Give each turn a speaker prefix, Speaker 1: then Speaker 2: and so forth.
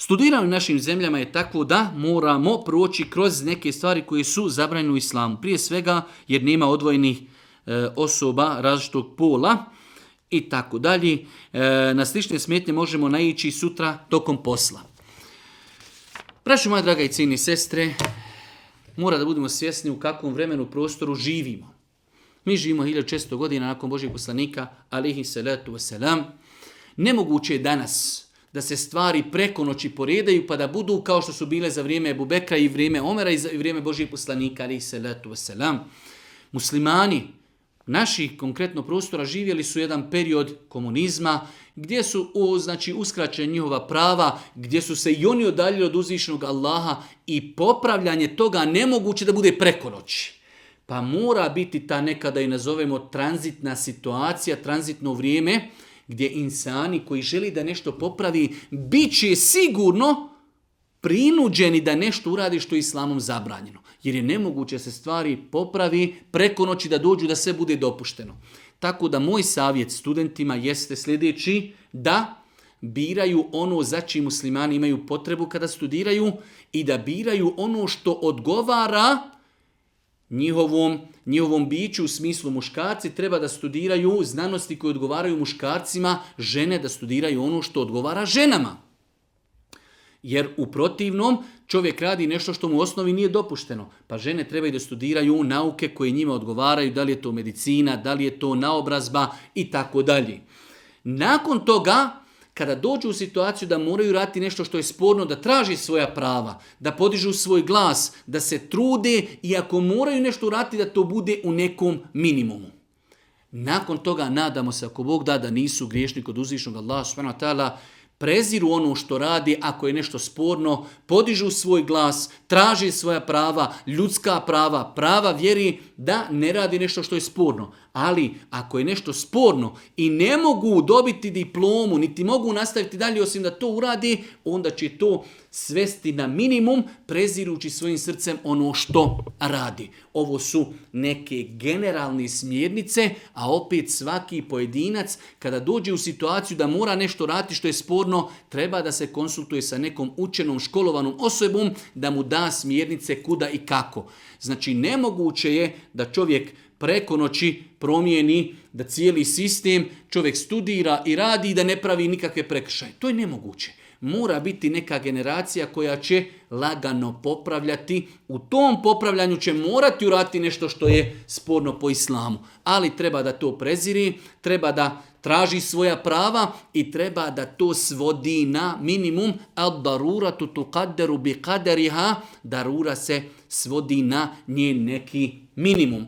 Speaker 1: Studiranje u našim zemljama je takvo da moramo proći kroz neke stvari koje su zabranjene u islamu. Prije svega jer nema odvojenih osoba različitog pola i tako dalje. Na slične smetnje možemo naići sutra tokom posla. Braćo moja draga i cijene sestre, mora da budemo svjesni u kakvom vremenu prostoru živimo. Mi živimo 1600 godina nakon Božjeg poslanika, alejhi salatu vesselam. Nemoguće je danas da se stvari preko noći poredaju pa da budu kao što su bile za vrijeme Ebu Bekra i vrijeme Omera i vrijeme Božjeg poslanika, alejhi salatu vesselam. Muslimani naših konkretno prostora živjeli su jedan period komunizma gdje su uskraćene njihova prava, gdje su se i oni odaljili od uzvišenog Allaha i popravljanje toga nemoguće da bude preko noći. Pa mora biti ta nekada i nazovemo tranzitna situacija, tranzitno vrijeme gdje insani koji želi da nešto popravi bit će sigurno prinuđeni da nešto uradi što je islamom zabranjeno. Jer je nemoguće se stvari popravi preko noći da dođu da sve bude dopušteno. Tako da moj savjet studentima jeste sljedeći, da biraju ono za čim muslimani imaju potrebu kada studiraju i da biraju ono što odgovara njihovom biću u smislu muškarci treba da studiraju znanosti koje odgovaraju muškarcima, žene da studiraju ono što odgovara ženama. Jer u protivnom čovjek radi nešto što mu u osnovi nije dopušteno. Pa žene trebaju da studiraju nauke koje njima odgovaraju, da li je to medicina, da li je to naobrazba i tako dalje. Nakon toga, kada dođu u situaciju da moraju raditi nešto što je sporno, da traži svoja prava, da podižu svoj glas, da se trude i ako moraju nešto uraditi da to bude u nekom minimumu. Nakon toga nadamo se ako Bog da nisu griješni kod uzvišnog Allaha subhanahu wa ta'ala, preziru ono što radi, ako je nešto sporno, podižu svoj glas, traži svoja prava, ljudska prava, prava vjeri, da ne radi nešto što je sporno. Ali ako je nešto sporno i ne mogu dobiti diplomu, niti mogu nastaviti dalje osim da to uradi, onda će to svesti na minimum, prezirući svojim srcem ono što radi. Ovo su neke generalne smjernice, a opet svaki pojedinac kada dođe u situaciju da mora nešto raditi što je sporno, treba da se konsultuje sa nekom učenom, školovanom osobom da mu da smjernice kuda i kako. Znači nemoguće je da čovjek preko noći promijeni, da cijeli sistem čovjek studira i radi i da ne pravi nikakve prekršaje. To je nemoguće. Mora biti neka generacija koja će lagano popravljati. U tom popravljanju će morati uraditi nešto što je sporno po islamu. Ali treba da to preziri, treba da traži svoja prava i treba da to svodi na minimum. Ad-daruratu tuqaddaru biqadariha. Darura se svodi na njen neki minimum.